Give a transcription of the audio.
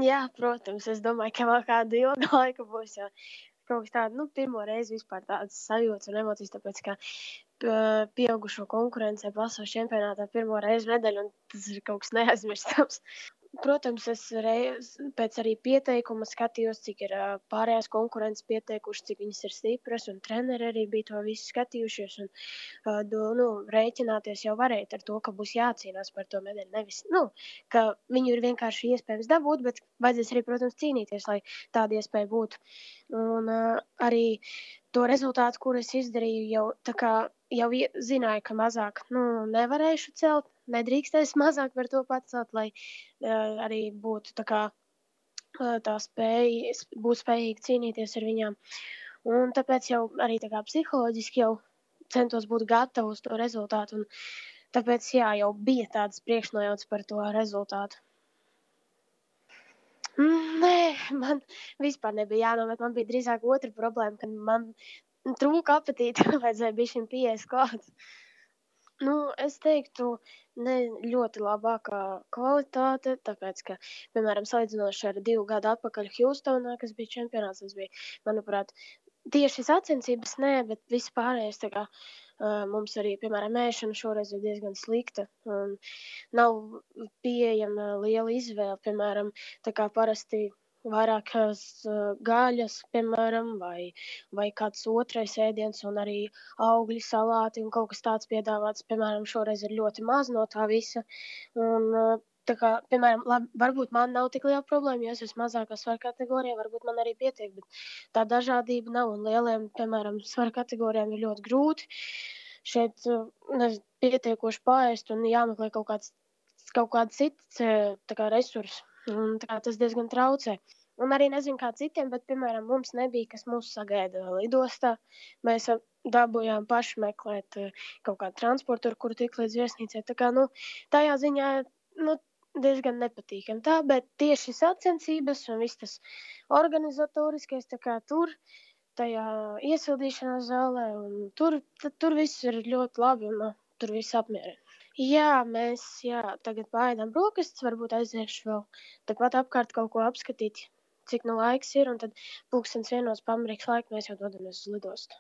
Jā, protams, es domāju, ka vēl kādu ilgu laiku būs, jo kaut kas tāda, pirmo reizi vispār tādas sajūtas un emocijas, tāpēc, ka pieaugušo konkurencē pasaules čempionātā pirmo reizi medaļu, un tas ir kaut kas neaizmirstams. Protams, es pēc arī pieteikuma skatījos, cik ir pārējās konkurences pieteikuši, cik viņas ir stipras, un treneri arī bija to visu skatījušies, un rēķināties jau varēja ar to, ka būs jācīnās par to medaļu. Nevis, ka viņu ir vienkārši iespējams dabūt, bet vajadzēs arī, protams, cīnīties, lai tāda iespēja būtu. Un arī to rezultātu, kur es izdarīju, jau tā kā jau zināju, ka mazāk nevarēšu celt, nedrīkstēs mazāk par to pacelt, lai arī būtu tā spēja, būt spējīgi cīnīties ar viņām. Un tāpēc jau arī tā kā psiholoģiski jau centos būt gatava uz to rezultātu, un tāpēc jau bija tādas priekšnojautas par to rezultātu. Nē, man vispār nebija jānomet, man bija drīzāk otra problēma, kad man trūka apetīte, vajadzēja bišķiņ pieejas klāt. Es teiktu, ne ļoti labākā kvalitāte, tāpēc, ka, piemēram, salīdzinoši ar 2 gadu atpakaļ Hjūstonā, kas bija čempionāts, tas bija, manuprāt, tieši sacensības nē, bet viss pārējais, mums arī, piemēram, ēšana šoreiz ir diezgan slikta, un nav pieejama liela izvēle, piemēram, tā kā parasti vairākas gaļas, piemēram, vai kāds otrais ēdiens, un arī augļi, salāti un kaut kas tāds piedāvāts, piemēram, šoreiz ir ļoti maz no tā visa. Un, piemēram, varbūt man nav tik liela problēma, jo es esmu mazākā svara kategorijā, varbūt man arī pietiek, bet tā dažādība nav, un lieliem, piemēram, svara kategorijām ir ļoti grūti šeit pietiekoši paēst un jāmeklē kaut kāds cits resurss, un tas diezgan traucē. Un arī nezinu, kā citiem, bet, piemēram, mums nebija, kas mūs sagaida lidostā. Mēs dabūjām paši meklēt kaut kādu transportu, ar kuru tikt līdz viesnīcai. Tajā ziņā diezgan nepatīkami tā, bet tieši sacensības un viss tas organizatoriskais, tur, tajā iesildīšanās zālē, un tur viss ir ļoti labi, un tur viss apmierina. Jā, mēs tagad paēdam brokastis, varbūt aiziešu vēl tepat apkārt kaut ko apskatīt, cik laiks ir, un tad 12:00 pameriks laika mēs jau dodamies uz lidostu.